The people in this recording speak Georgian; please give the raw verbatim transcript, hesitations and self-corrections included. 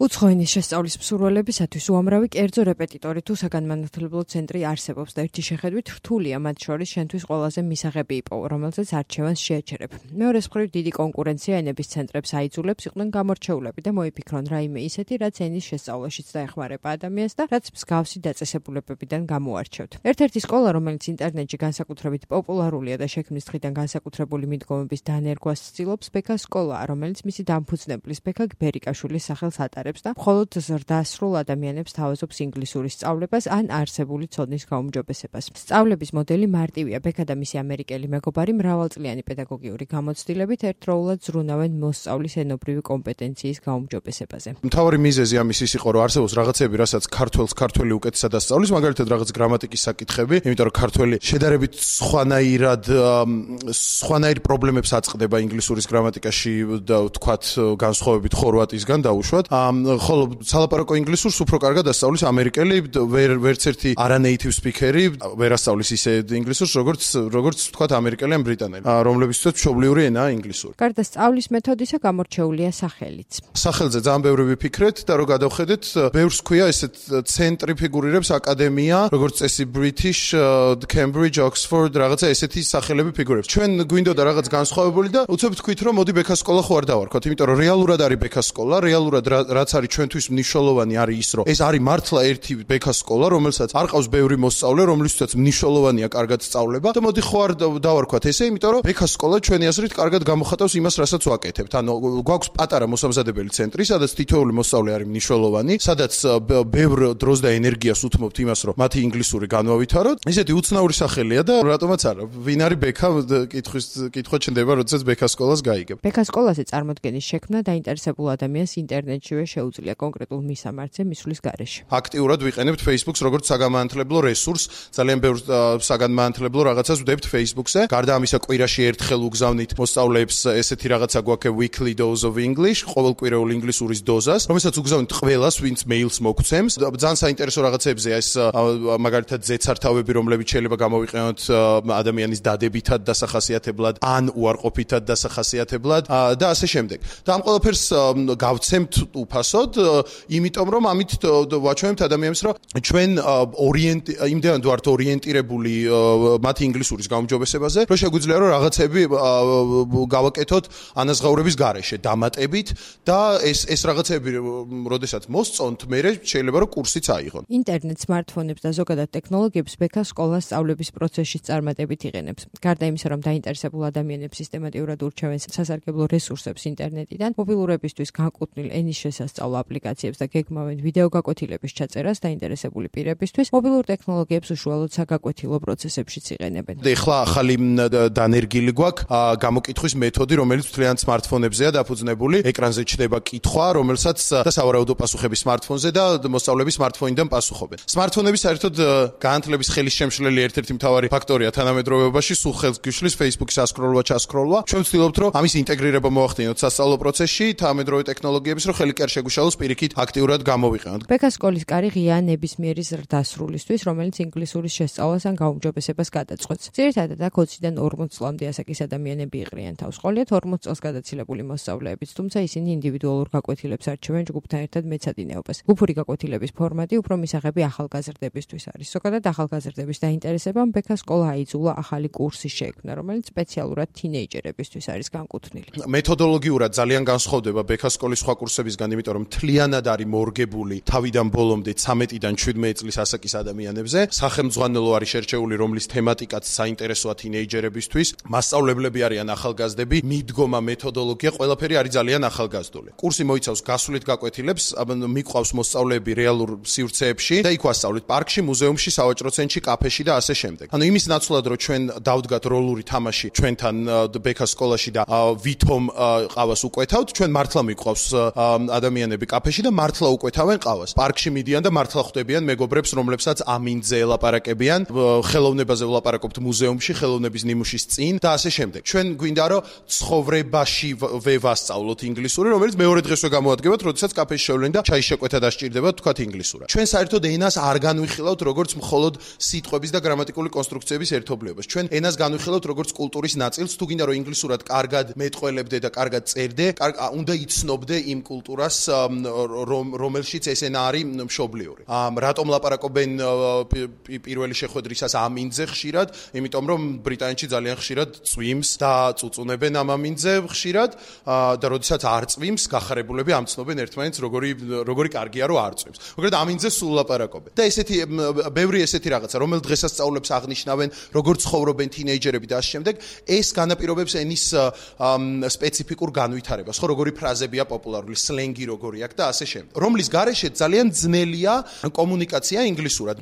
უცხო ენის შესწავლის მსურველებისათვის უამრავი კერძო რეპეტიტორი თუ საგანმანათლებლო ცენტრი არსებობს და ერთი შეხედვით რთულია მათ შორის შენთვის ყველაზე მისაღები იპოვო, რომელზეც არჩევანს შეაჩერებ. მეორეს მხრივ დიდი კონკურენცია ენების ცენტრებს აიძულებს იყვნენ გამორჩეულები და მოიფიქრონ რაიმე ისეთი, რაც ენის შესწავლაშიც დაეხმარება ადამიანს და რაც მსგავსი დაწესებულებებიდან გამოარჩევთ. ერთ-ერთი სკოლა, რომელიც ინტერნეტში განსაკუთრებით პოპულარულია და შექმნის დღიდან განსაკუთრებული მიდგომების დანერგვას ცდილობს, ბექა სკოლაა, რომელიც მისი დამფუძნებლის ბექა გბერიკაშვილის სახელს ატარებს და მხოლოდ ზრდასრულ ადამიანებს თავაზობს ინგლისურის სწავლებას ან არსებული ცოდნის გაუმჯობესებას. სწავლების მოდელი მარტივია. ბექა და მისი ამერიკელი მეგობარი მრავალწლიანი პედაგოგიური გამოცდილებით ერთდროულად ზრუნავენ მოსწავლის ენობრივი კომპეტენციის გაუმჯობესებაზე. მთავარი მიზეზი ამის ის იყო, რომ არსებობს რაღაცები, რასაც ქართველს ქართველი უკეთესად ასწავლის, მაგალითად რაღაც გრამატიკის საკითხები, იმიტომ რომ ქართველი შედარებით სხვანაირად სხვანაირ პრობლემებს აწყდება ინგლისურის გრამატიკაში და ვთქვათ განსხვავებით ხორვატისგან დაუშვათ. ხოლო სალაპარაკო ინგლისურს უფრო კარგად ასწავლის ამერიკელი, ვერც ერთი არანეიტივ სპიქერი ვერ ასწავლის ისე ინგლისურს, როგორც როგორც ვთქვათ ამერიკელი ან ბრიტანელი, რომლებისთვის მშობლიური ენაა ინგლისური. გარდა სწავლის მეთოდისა გამორჩეულია სახელიც. სახელზე ძალიან ბევრი ვიფიქრეთ და რო გადავხედეთ, ბევრს ქვია ესეთ ცენტრი ფიგურირებს აკადემია, როგორც წესი British, Cambridge, Oxford, რაღაცა ესეთი სახელები ფიგურირებს. ჩვენ გვინდოდა რაღაც განსხვავებული და უცებ თქვით, რომ მოდი ბექა სკოლა ხო არ დავარქვათ, იმიტომ რომ რეალურად არის ბექა სკოლა, რეალურად რაც არის ჩვენთვის მნიშვნელოვანი არის ის, რომ ეს არის მართლა ერთი ბექა სკოლა, რომელსაც არ ყავს ბევრი მოსწავლე, რომლისთვისაც მნიშვნელოვანია კარგად სწავლება და მოდი ხო არ დავარქვათ ესე, იმიტომ რომ ბექა სკოლა ჩვენი აზრით კარგად გამოხატავს იმას, რასაც ვაკეთებთ. ანუ გვაქვს პატარა მოსამზადებელი ცენტრი, სადაც თითოეული მოსწავლე არის მნიშვნელოვანი, სადაც ბევრ დროს და ენერგიას უთმობთ იმას, რომ მათი ინგლისური განვავითაროთ. ისეთი უცნაური სახელია და რატომაც არა. ვინ არის ბექა კითხვის კითხვა ჩნდება, როდესაც ბექა სკოლას გაიგებ. ბექა სკოლაზე წარმოდგენის შექმნა დაინტერესებულ ადამიანს ინტერნეტშივე შეუძლია კონკრეტულ მისამართზე მისვლის გარეშე. აქტიურად ვიყენებთ Facebook-ს როგორც საგანმანათლებლო რესურს, ძალიან ბევრ საგანმანათლებლო რაღაცას ვდებთ Facebook-ზე. გარდა ამისა, კვირაში ერთხელ უგზავნით მოსწავლეებს ესეთი რაღაცა გვაქვს weekly dose of English, ყოველკვირეულ ინგლისურის დოზას, რომელსაც უგზავნით ყველას, ვინც მეილს მოგცემს. ძალიან საინტერესო რაღაცებზეა ეს, მაგალითად ზეცართავები, რომლებიც შეიძლება გამოვიყენოთ ადამიანის დადებითად დასახასიათებლად, ან უარყოფითად დასახასიათებლად და ასე შემდეგ. და ამ ყველაფერს გავცემთ უფასოდ, იმიტომ რომ ამით ვაჩვენებთ ადამიანებს, რომ ჩვენ ორიენტ იმდენად ვართ ორიენტირებული მათი ინგლისურის გაუმჯობესებაზე, რომ შეგვიძლია რომ რაღაცები გავაკეთოთ ანაზღაურების გარეშე, დამატებით და ეს ეს რაღაცები, როდესაც მოსწონთ, მე შეიძლება რომ კურსიც აიღონ. ინტერნეტ, სმარტფონებს და ზოგადად ტექნოლოგიებს ბექა სკოლას სწავლების პროცესში წარმატებით იყენებს. გარდა იმისა, რომ დაინტერესებულ ადამიანებს სისტემატურად ურჩევენ სასარგებლო რესურსებს ინტერნეტიდან, მობილურებისთვის განკუთვნილ ენის შესასწავლო აპლიკაციებს და გეგმავენ ვიდეო გაკვეთილების ჩაწერას დაინტერესებული პირებისთვის, მობილურ ტექნოლოგიებს უშუალოდ საგაკვეთილო პროცესებშიც იყენებენ. ეხლა ახალი დანერგილი გვაქვს გამოკითხვის მეთოდი, რომელიც მთლიანად სმარტფონებზეა დაფუძნებული. ეკრანზე ჩნდება კითხვა, რომელსაც და სავარაუდო პასუხები სმარტფონზე და მოსწავლეები სმარტფონიდან პასუხობენ. სმარტფონები საერთოდ განათლების ხელის შემშლელი ერთ-ერთი მთავარი ფაქტორია თანამედროვეობაში, სულ ხელს გიშლის Facebook-ის ასკროლვა, ჩასკროლვა. ჩვენ ვცდილობთ, რომ ამის ინტეგრირება მოახდინოთ სასწავლო პროცესში, თანამედროვე ტექნოლოგიების, რომ ხელი კი არ შეგვიშალოს პირიქით აქტიურად გამოვიყენოთ. ბექა სკოლის კარი ღია ნებისმიერი ზრდასრულისთვის, რომელიც ინგლისურის შესწავლას ან გაუმჯობესებას გადაწყვეტს. ძირითადად აქ ოციდან ორმოც წლამდე ასაკის ადამიანები იყრიან თავს. ყოლიათ ორმოც წელს გადაცილებული მოსწავლეებიც, თუმცა ისინი ინდივიდუალურ გაკვეთილებს არჩევენ ჯგუფთან ერთად მეცადინეობას. ჯგუფური გაკვეთილების ფორმატი უფრო მისაღები ახალგაზრდებისთვის არის. ზოგადად ახალგაზრდების დაინტერესებამ ბექა სკოლა აიძულა ახალი კურსი შექმნა, რომელიც სპეციალურად თინეიჯერებისთვის არის განკუთვნილი. მეთოდოლოგიურად ძალიან განსხვავდება ბექა სკოლის სხვა კურსებისგან, იმიტომ რომ მთლიანად არის მორგებული თავიდან ბოლომდე ცამეტიდან შვიდმეტი წლის ასაკის ადამიანებზე. სახელმძღვანელო არის შერჩეული, რომლის თემატიკაც საინტერესოა თინეიჯერებისთვის. მასწავლებლები არიან ახალგაზრდები, მიდგომა, მეთოდოლოგია, ყველაფერი არის ძალიან ახალგაზრდული. კურსი მოიცავს გასვლით გაკვეთილებს, მიყვავს მოსწავლეები რეალურ სივრცეებში და იქ ვასწავლეთ პარკში, მუზეუმში, სავაჭრო ცენტრში, კაფეში და ასე შემდეგ. ანუ იმის ნაცვლად, რომ ჩვენ დავდგათ როლური თამაში ჩვენთან ბექა სკოლაში და ვითომ ყავას უკვეთავთ, ჩვენ მართლა მიყვავს ადამიანები კაფეში და მართლა უკვეთავენ ყავას. პარკში მიდიან და მართლა ხვდებიან მეგობრებს, რომლებსაც ამინძე ელაპარაკებიან, ხელოვნებაზე ვლაპარაკობთ მუზეუმში, ხელოვნების ნიმუშის წინ და ასე შემდეგ. ჩვენ გვინდა რომ ცხოვრებაში ვევასწავლოთ ინგლისური, რომელიც მეორე დღესვე გამოადგებათ, როდესაც კაფეში შევლენ და ჩაის შეკვეთა დასჭირდებათ თქვათ ინგლისურად. ჩვენ საერთოდ ენას არ განვიხილავთ როგორც მხოლოდ სიტყვების და გრამატიკული კონსტრუქციების ერთობლიობას. ჩვენ ენას განვიხილავთ როგორც კულტურის ნაწილს, თუ გინდა რომ ინგლისურად კარგად მეტყველებდე და კარგად წერდე, უნდა იცნობდე იმ კულტურას რომელშიც ეს ენა არის მშობლიური. რატომ ლაპარაკობენ პირველი შეხვედრისას ამ ინძზე ხშირად? იმიტომ რომ ბრიტანეთში ძალიან ხშირად წვიმს და წუწუნებენ ამ ამინძზე ხშირად და როდესაც არ წვიმს, გახარებულები ამცნობენ ერთმანეთს, როგორი როგორი კარგია რომ არ წვიმს. მოკლედ ამინძზე სულ ლაპარაკობენ. და ესეთი ბევრი ესეთი რაღაცა, რომელ დღესასწაულებს აღნიშნავენ, როგორ ცხოვრობენ თინეიჯერები და ამ შემდეგ, ეს განაპირობებს ენის სპეციფიკურ განვითარებას, ხო, როგორი ფრაზებია პოპულარული, სლენგი როგორი აქვს და ასე შემდეგ. რომლის გარეშე ძალიან ძნელია კომუნიკაცია ინგლისურად.